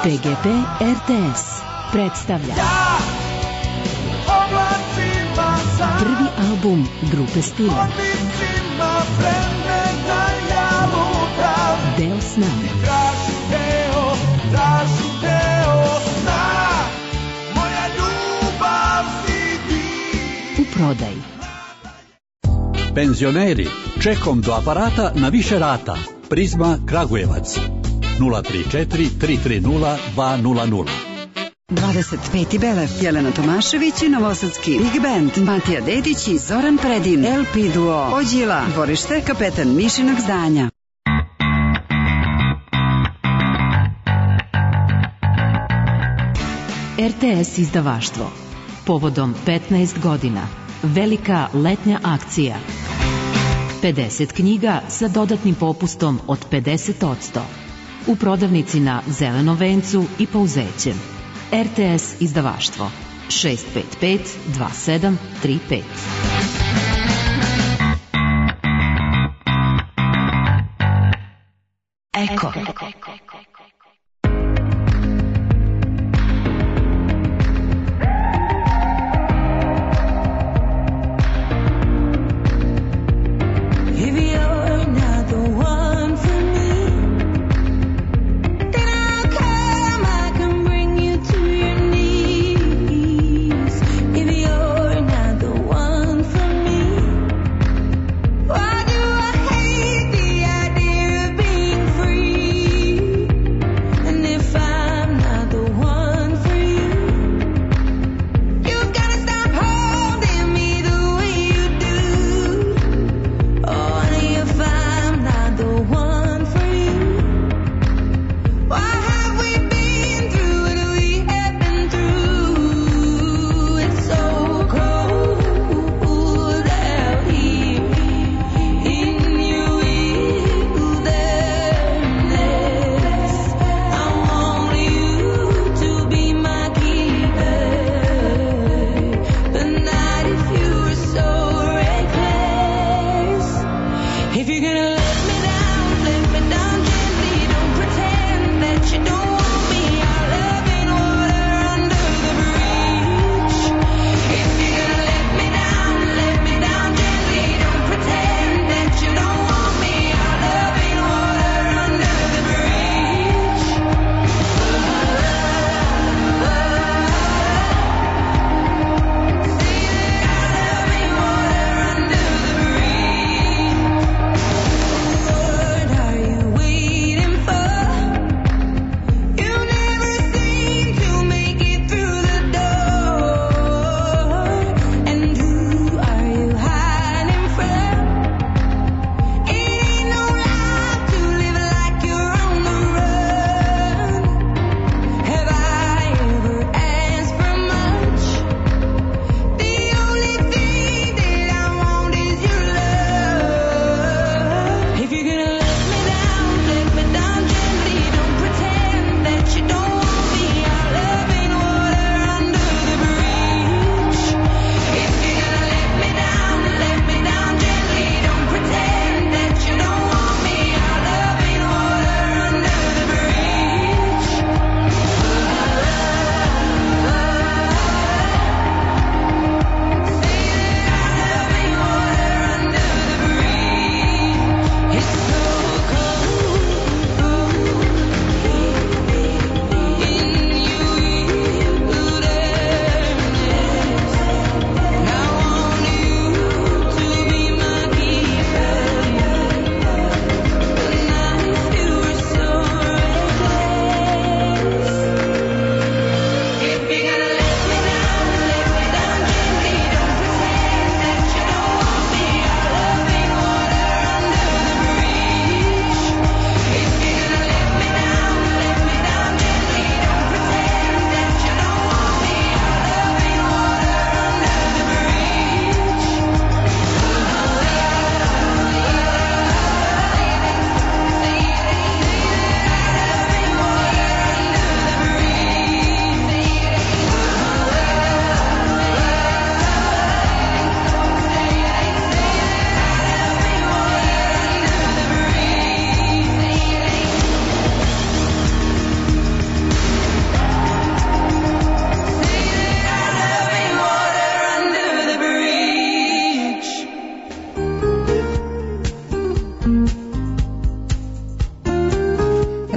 PGP RTS predstavlja prvi album grupe Stila Deo sna. U prodaji. Penzioneri, čekom do aparata na više rata. Prizma Kragujevac 034 330 200. 25. Belev, Jelena Tomašević i Novosadski Big Band, Matija Dedić i Zoran Predin, LP Duo, Ođila, dvorište Kapetan Mišinog zdanja. RTS izdavaštvo. Povodom 15 godina. Velika letnja akcija. 50 knjiga sa dodatnim popustom od 50%. U prodavnici na Zelenom vencu i Pouzećem. RTS izdavaštvo. 655 2735. Eko.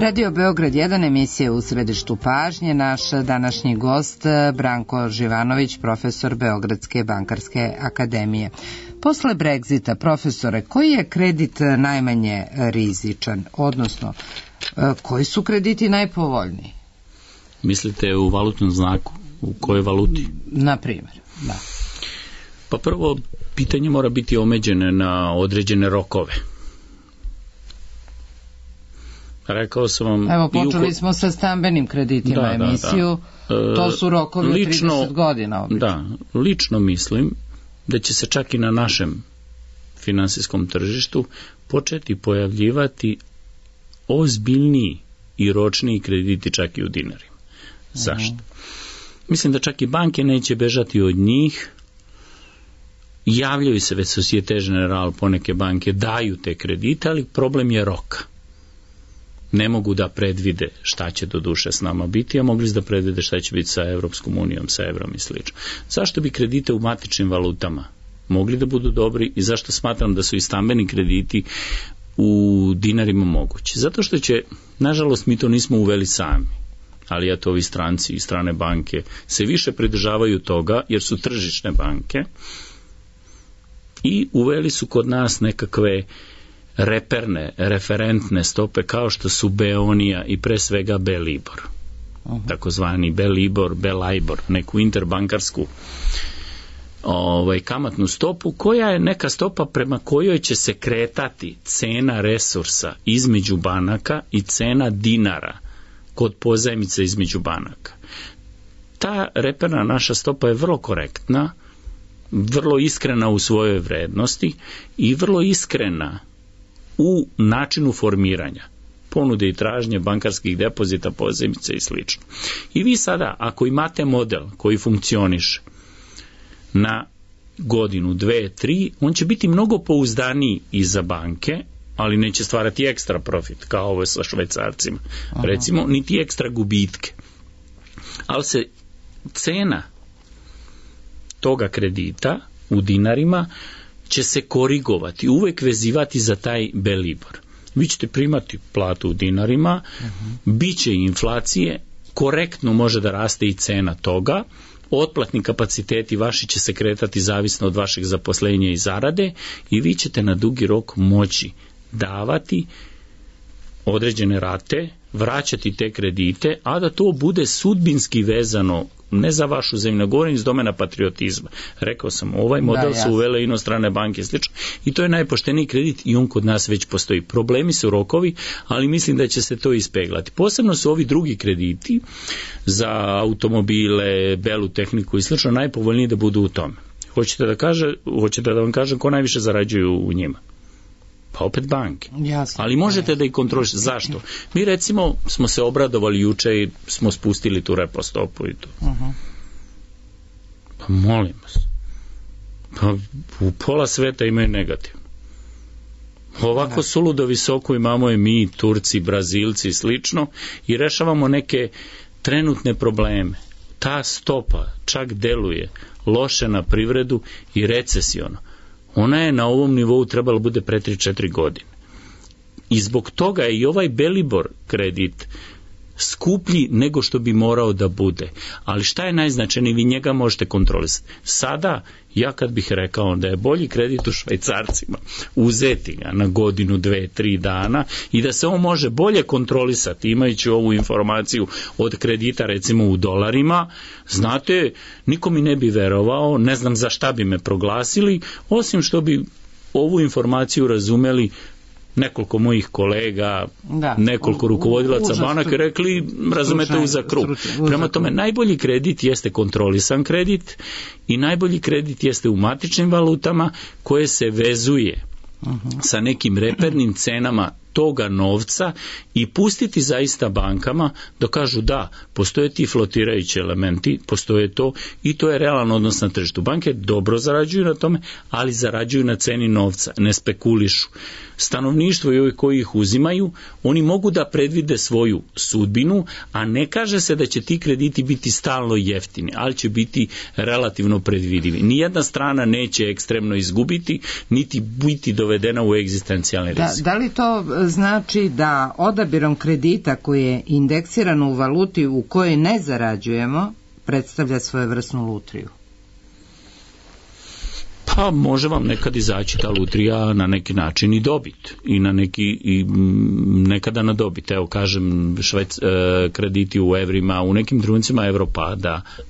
Radio Beograd 1, emisija u središtu pažnje. Naš današnji gost Branko Živanović, profesor Beogradske bankarske akademije. Posle Brexita, profesore, koji je kredit najmanje rizičan, odnosno koji su krediti najpovoljniji? Mislite u valutnom znaku? U kojoj valuti? Na primjer, da. Pa prvo, pitanje mora biti omeđene na određene rokove. Rekao sam vam... Evo, počeli smo sa stambenim kreditima emisiju. To su rokovi od 30 godina obično. Da, lično mislim da će se čak i na našem finansijskom tržištu početi pojavljivati ozbiljniji i ročniji krediti čak i u dinarima. Zašto? Mislim da čak i banke neće bežati od njih. Javljaju se već Societe Generale, poneke banke daju te kredite, ali problem je roka. Ne mogu da predvide šta će do duše s nama biti, a mogli da predvide šta će biti sa Evropskom unijom, sa evrom i sl. Zašto bi kredite u matičnim valutama mogli da budu dobri i zašto smatram da su i stambeni krediti u dinarima mogući? Zato što će, nažalost, mi to nismo uveli sami, ali eto ovi stranci i strane banke se više pridržavaju toga jer su tržišne banke i uveli su kod nas nekakve referentne stope kao što su Beonija i pre svega Belibor. Takozvani Belibor, Belajbor, neku interbankarsku kamatnu stopu koja je neka stopa prema kojoj će se kretati cena resursa između banaka i cena dinara kod pozajmice između banaka. Ta reperna naša stopa je vrlo korektna, vrlo iskrena u svojoj vrednosti i vrlo iskrena u načinu formiranja ponude i tražnje bankarskih depozita, pozajmice i sl. I vi sada, ako imate model koji funkcioniše na godinu, 2, 3, on će biti mnogo pouzdaniji i za banke, ali neće stvarati ekstra profit, kao ovo sa švajcarcima. Recimo, niti ekstra gubitke. Ali se cena toga kredita u dinarima će se korigovati, uvek vezivati za taj Belibor. Vi ćete primati platu u dinarima, bit će inflacije, korektno može da raste i cena toga, otplatni kapaciteti vaši će se kretati zavisno od vašeg zaposlenja i zarade i vi ćete na dugi rok moći davati određene rate, vraćati te kredite, a da to bude sudbinski vezano ne za vašu zemlju, govorim iz domena patriotizma. Rekao sam, ovaj model su uvele inostrane banke i slično i to je najpošteniji kredit i on kod nas već postoji. Problemi su rokovi, ali mislim da će se to ispeglati. Posebno su ovi drugi krediti za automobile, belu tehniku i slično najpovoljniji da budu u tome. Hoćete da vam kažem ko najviše zarađuju u njima? Pa opet banke. Jasno. Ali možete da ih kontrolišete. Zašto? Mi recimo smo se obradovali juče i smo spustili tu repo stopu i to. Pa molim vas. Pa u pola sveta imaju negativno. Ovako suludo visoko imamo i mi, Turci, Brazilci i slično i rešavamo neke trenutne probleme. Ta stopa čak deluje loše na privredu i recesiono. Ona je na ovom nivou trebala bude pre 3-4 godine. I zbog toga je i ovaj Belibor kredit skuplji nego što bi morao da bude. Ali šta je najznačajnije? Vi njega možete kontrolisati. Sada, ja kad bih rekao da je bolji kredit u švajcarcima, uzeti ga na godinu, 2, 3 dana i da se on može bolje kontrolisati, imajući ovu informaciju od kredita recimo u dolarima, znate, niko mi ne bi verovao, ne znam za šta bi me proglasili, osim što bi ovu informaciju razumeli nekoliko mojih kolega, nekoliko rukovodilaca banaka rekli, razumete u za krug. Prema tome, najbolji kredit jeste kontrolisan kredit i najbolji kredit jeste u matičnim valutama koje se vezuje sa nekim repernim cenama toga novca i pustiti zaista bankama da kažu da, postoje ti flotirajući elementi, postoje to i to je realan odnos na tržištu. Banke dobro zarađuju na tome, ali zarađuju na ceni novca, ne spekulišu. Stanovništvo i ovi koji ih uzimaju, oni mogu da predvide svoju sudbinu, a ne kaže se da će ti krediti biti stalno jeftini, ali će biti relativno predvidivi. Nijedna strana neće ekstremno izgubiti, niti biti dovedena u egzistencijalni rizik. Da li to znači da odabirom kredita koji je indeksiran u valuti u kojoj ne zarađujemo, predstavlja svojevrsnu lutriju? Pa može vam nekad izaći ta lutrija na neki način i dobit i nekada na dobit. Evo kažem, krediti u evrima, u nekim trenucima evro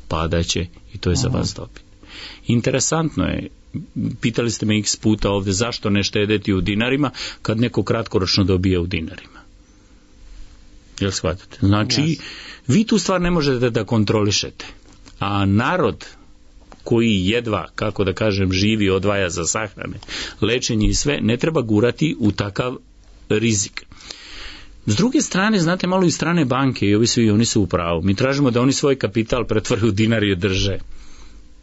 padaće i to je za vas dobit. Interesantno je, pitali ste me x puta ovde zašto ne štedeti u dinarima kad neko kratkoročno dobije u dinarima. Jel shvatate? Znači, vi tu stvar ne možete da kontrolišete. A narod koji jedva, kako da kažem, živi, odvaja za sahrane, lečenje i sve, ne treba gurati u takav rizik. S druge strane, znate, malo i strane banke, i oni su u pravu. Mi tražimo da oni svoj kapital pretvore u dinar i drže.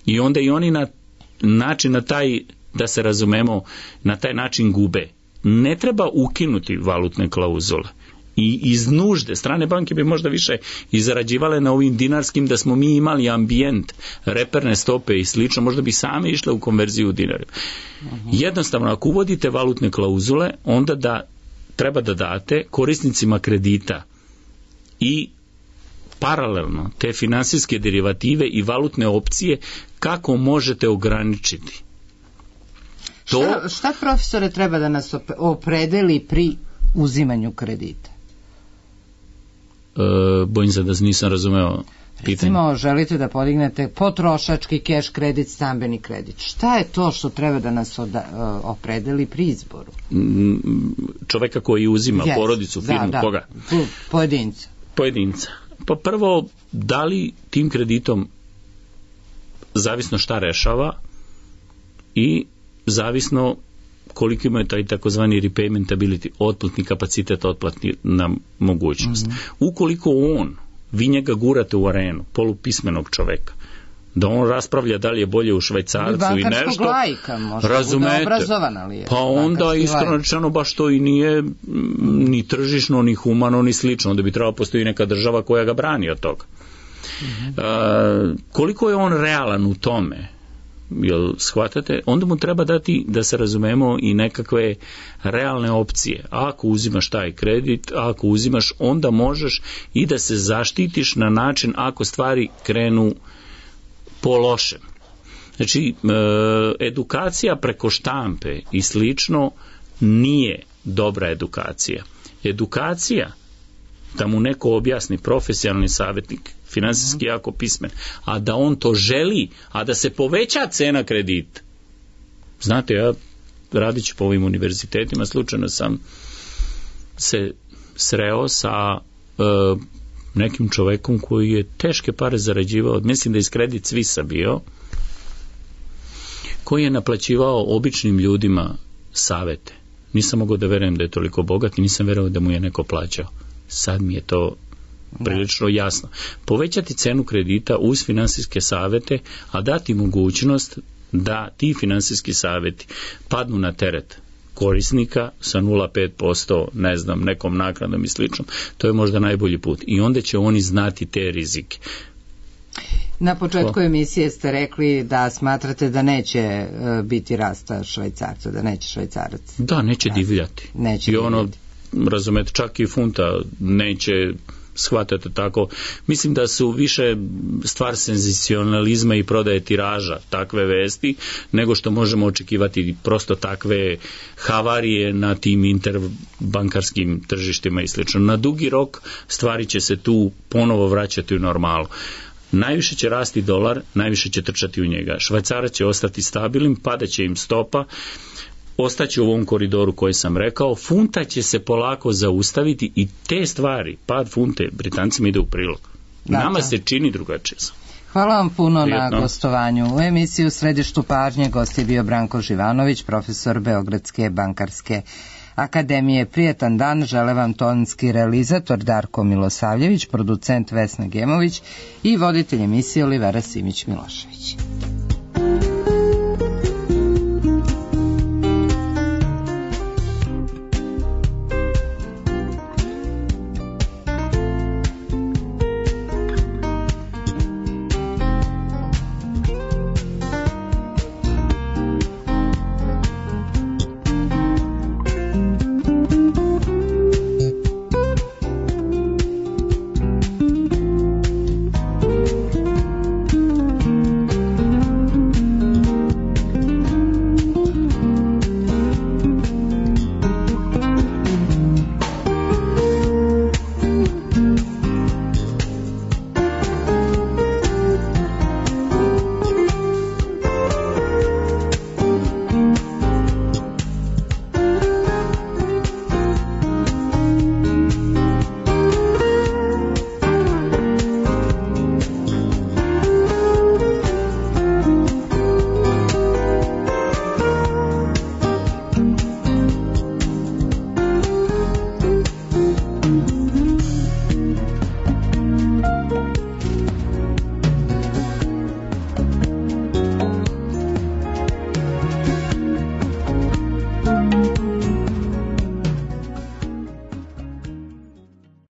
I onda i oni na način, na taj, da se razumemo, na taj način gube. Ne treba ukinuti valutne klauzule. I iz nužde, strane banke bi možda više i zarađivale na ovim dinarskim, da smo mi imali ambijent, reperne stope i slično, možda bi same išle u konverziju u dinare. Jednostavno, ako uvodite valutne klauzule, onda da treba da date korisnicima kredita i paralelno te finansijske derivative i valutne opcije kako možete ograničiti. Šta profesore treba da nas opredeli pri uzimanju kredita? Bojim se da nisam razumeo pitanje. Recimo, želite da podignete potrošački keš kredit, stambeni kredit. Šta je to što treba da nas opredeli pri izboru? Čoveka koji uzima porodicu, firmu, koga? Pojedinca. Pa prvo, da li tim kreditom zavisno šta rešava i zavisno koliko ima taj takozvani repaymentability, otplatni kapacitet, otplatna mogućnost. Ukoliko vi njega gurate u arenu, polupismenog čoveka, da on raspravlja da li je bolje u Švajcarcu i nešto, lajka, razumete, pa onda iskreno rečeno baš to i nije ni tržišno, ni humano, ni slično, onda bi trebalo postoji neka država koja ga brani od toga. Koliko je on realan u tome, jel shvatate, onda mu treba dati, da se razumemo, i nekakve realne opcije. Ako uzimaš taj kredit, ako uzimaš, onda možeš i da se zaštitiš na način ako stvari krenu po lošem. Znači, edukacija preko štampe i slično nije dobra edukacija. Edukacija, da mu neko objasni, profesionalni savjetnik, finansijski jako pismen, a da on to želi, a da se poveća cena kredita. Znate, ja radići po ovim univerzitetima, slučajno sam se sreo sa nekim čovekom koji je teške pare zarađivao, mislim da iz Credit Suisse bio, koji je naplaćivao običnim ljudima savete. Nisam mogao da verujem da je toliko bogat i nisam verovao da mu je neko plaćao. Sad mi je to prilično jasno. Povećati cenu kredita uz finansijske savete, a dati mogućnost da ti finansijski saveti padnu na teret korisnika sa 0,5%, ne znam, nekom naknadom i slično, to je možda najbolji put. I onda će oni znati te rizike. Na početku emisije ste rekli da smatrate da neće biti rasta Švajcarca, da neće Švajcarac. Da, neće divljati. I ono, razumete, čak i funta neće, shvatate tako. Mislim da su više stvar senzacionalizma i prodaje tiraža takve vesti, nego što možemo očekivati prosto takve havarije na tim interbankarskim tržištima i slično. Na dugi rok stvari će se tu ponovo vraćati u normalu. Najviše će rasti dolar, najviše će trčati u njega. Švajcarac će ostati stabilnim, padaće im stopa, ostaće u ovom koridoru koji sam rekao, funta će se polako zaustaviti i te stvari, pad funte, Britancima ide u prilog. Nama se čini drugačije. Hvala vam puno na gostovanju. U emisiji U središtu pažnje gost je bio Branko Živanović, profesor Beogradske bankarske akademije. Prijetan dan, žele vam tonski realizator Darko Milosavljević, producent Vesna Gemović i voditelj emisije Olivera Simić-Milošević.